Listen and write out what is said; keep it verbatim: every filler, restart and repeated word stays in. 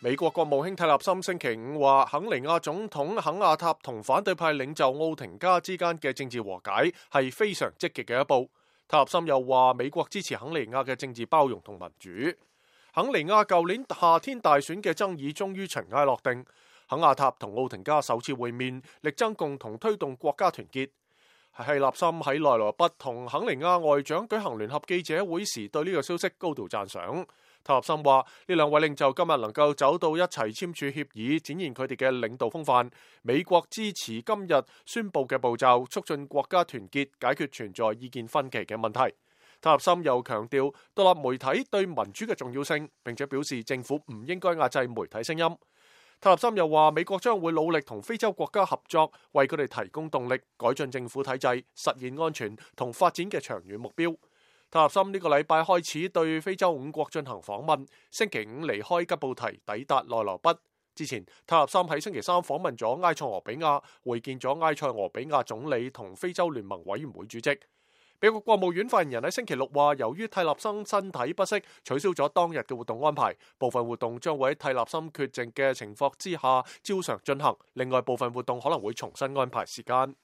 美國國務卿蒂勒森星期五話，肯尼亞總統肯亞塔同反對派領袖奧廷加之間嘅政治和解係非常積極嘅一步。蒂勒森又話，美國支持肯尼亞嘅政治包容同民主。肯尼亞舊年夏天大選嘅爭議終於塵埃落定，肯亞塔同奧廷加首次會面，力爭共同推動國家團結。蒂勒森喺內羅畢同肯尼亞外長舉行聯合記者會時，對呢個消息高度讚賞。蒂勒森話：呢兩位領袖今日能夠走到一齊簽署協議，展現佢哋嘅領導風範。美國支持今日宣布嘅步驟，促進國家團結，解決存在意見分歧嘅問題。蒂勒森又強調獨立媒體對民主嘅重要性，並且表示政府唔應該壓制媒體聲音。蒂勒森又話：美國將會努力同非洲國家合作，為佢哋提供動力，改進政府體制，實現安全同發展嘅長遠目標。蒂勒森呢個禮拜開始對非洲五國進行訪問，星期五離開吉布提，抵達內羅畢。之前，蒂勒森喺星期三訪問咗埃塞俄比亞，會見咗埃塞俄比亞總理同非洲聯盟委員會主席。美國國務院發言人喺星期六話，由於蒂勒森身體不適，取消咗當日嘅活動安排，部分活動將會喺蒂勒森缺席嘅情況之下照常進行，另外部分活動可能會重新安排時間。